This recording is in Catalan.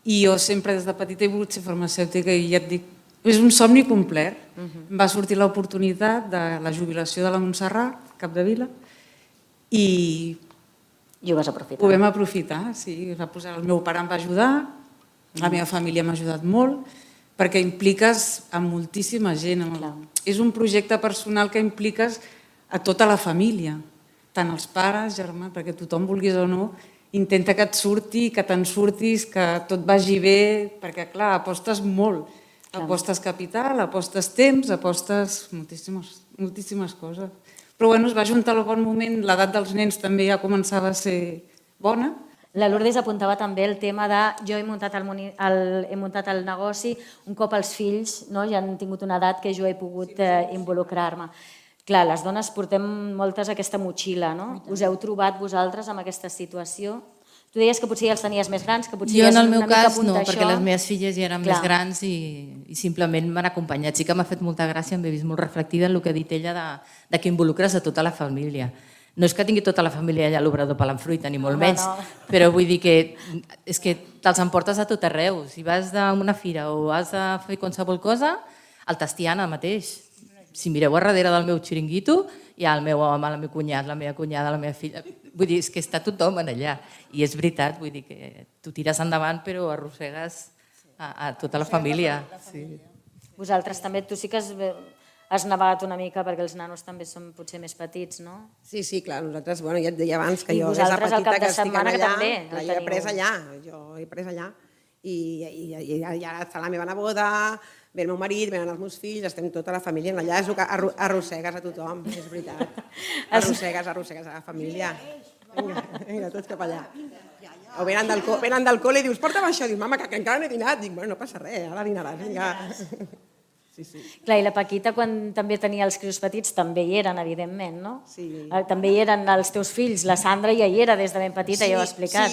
I jo sempre des de petita he volgut ser farmacèutica i ja et dic, és un somni complet. Em va sortir l'oportunitat de la jubilació de la Montserrat, Capdevila, i ho vas aprofitar. ho vam aprofitar, sí. El meu pare em va ajudar, la meva família m'ha ajudat molt, perquè impliques a moltíssima gent. És un projecte personal que impliques a tota la família, tant els pares, germans, perquè tothom, vulguis o no, intenta que et surti, que te'n surtis, que tot vagi bé, perquè clar, apostes molt. Apostes capital, apostes temps, apostes moltíssimes coses. Però bueno, es va juntar al bon moment, l'edat dels nens també ja començava a ser bona. La Lourdes apuntava també el tema de jo he muntat el negoci un cop els fills ja han tingut una edat que jo he pogut involucrar-me. Clar, les dones portem moltes aquesta motxilla, no? Us heu trobat vosaltres amb aquesta situació? Tu deies que potser ja els tenies més grans, que potser jo ja és en el una meu mica cas punt no, d'això. perquè les meves filles ja eren més grans i simplement m'han acompanyat. Sí que m'ha fet molta gràcia, m'he vist molt reflectida en el que ha dit ella de que involucres a tota la família. No és que tingui tota la família allà a l'obrador pelant fruita, ni molt menys, però vull dir que és que te'ls emportes a tot arreu. Si vas a una fira o has de fer qualsevol cosa, el Tastiana mateix. Si mireu a darrere del meu xiringuito, hi ha el meu home, el meu cunyat, la meva cunyada, la meva filla. Vull dir, és que està tothom allà. I és veritat, vull dir que tu tires endavant però arrossegues a tota la família. Vosaltres també, tu sí que has navegat una mica perquè els nanos també són potser més petits, no? Sí, clar, nosaltres, ja et deia abans que jo des de vosaltres al petita cap de que estic setmana que allà, també el jo he teniu. après allà i ara està la meva neboda, ve el meu marit, venen els meus fills, estem tota la família allà, és el que arrossegues a tothom, és veritat. Arrossegues a la família. Vinga, tots cap allà. O venen del col·le i dius, porta'm això, dius, mama, que encara no he dinat. Dic, bueno, no passa res, ara dinaràs, vinga. Clar, i la Paquita, quan també tenia els crios petits, també hi eren, evidentment, no? Sí. També hi eren els teus fills, la Sandra ja hi era des de ben petita, ja ho ha explicat.